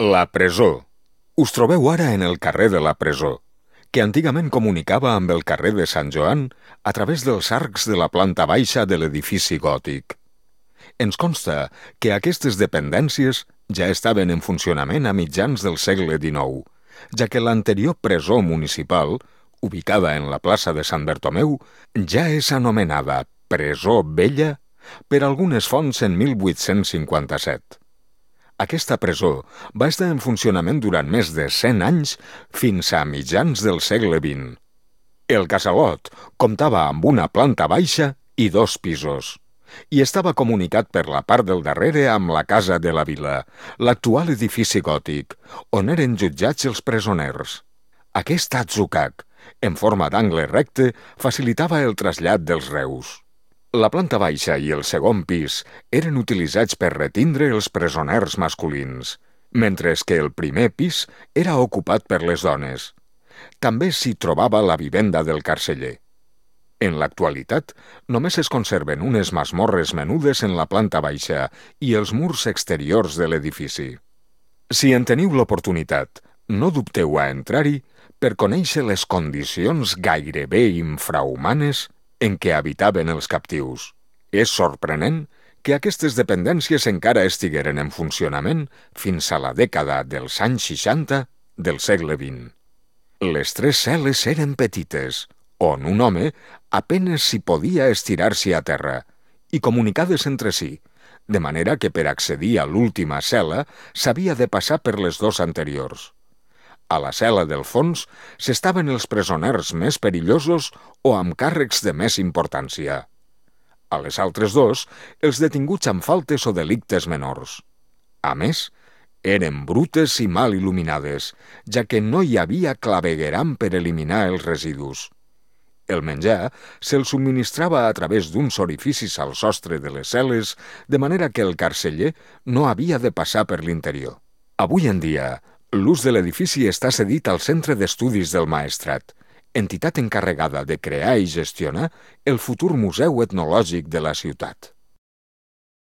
La presó. Us trobeu ara en el carrer de la Presó, que antigament comunicava amb el carrer de Sant Joan a través dels arcs de la planta baixa de l'edifici gòtic. Ens consta que aquestes dependències ja estaven en funcionament a mitjans del segle XIX, ja que l'anterior presó municipal, ubicada en la plaça de Sant Bertomeu, ja és anomenada Presó Vella per algunes fonts en 1857. Aquesta presó va estar en funcionament durant més de 100 anys fins a mitjans del segle XX. El casalot comptava amb una planta baixa i 2 pisos, i estava comunicat per la part del darrere amb la Casa de la Vila, l'actual edifici gòtic, on eren jutjats els presoners. Aquest atzucac, en forma d'angle recte, facilitava el trasllat dels reus. La planta baixa i el segon pis eren utilitzats per retindre els presoners masculins, mentre que el primer pis era ocupat per les dones. També s'hi trobava la vivenda del carceller. En l'actualitat, només es conserven unes masmorres menudes en la planta baixa i els murs exteriors de l'edifici. Si en teniu l'oportunitat, no dubteu a entrar-hi per conèixer les condicions gairebé infrahumanes en què habitaven els captius. És sorprenent que aquestes dependències encara estigueren en funcionament fins a la dècada dels anys 60 del segle XX. Les 3 cel·les eren petites, on un home apenes s'hi podia estirar-s'hi a terra, i comunicades entre si, de manera que per accedir a l'última cel·la s'havia de passar per les 2 anteriors. A la cel·la del fons s'estaven els presoners més perillosos o amb càrrecs de més importància. A les altres 2, els detinguts amb faltes o delictes menors. A més, eren brutes i mal il·luminades, ja que no hi havia clavegueram per eliminar els residus. El menjar se'l subministrava a través d'uns orificis al sostre de les cel·les, de manera que el carceller no havia de passar per l'interior. Avui en dia, l'ús de l'edifici està cedit al Centre d'Estudis del Maestrat, entitat encarregada de crear i gestionar el futur Museu Etnològic de la ciutat.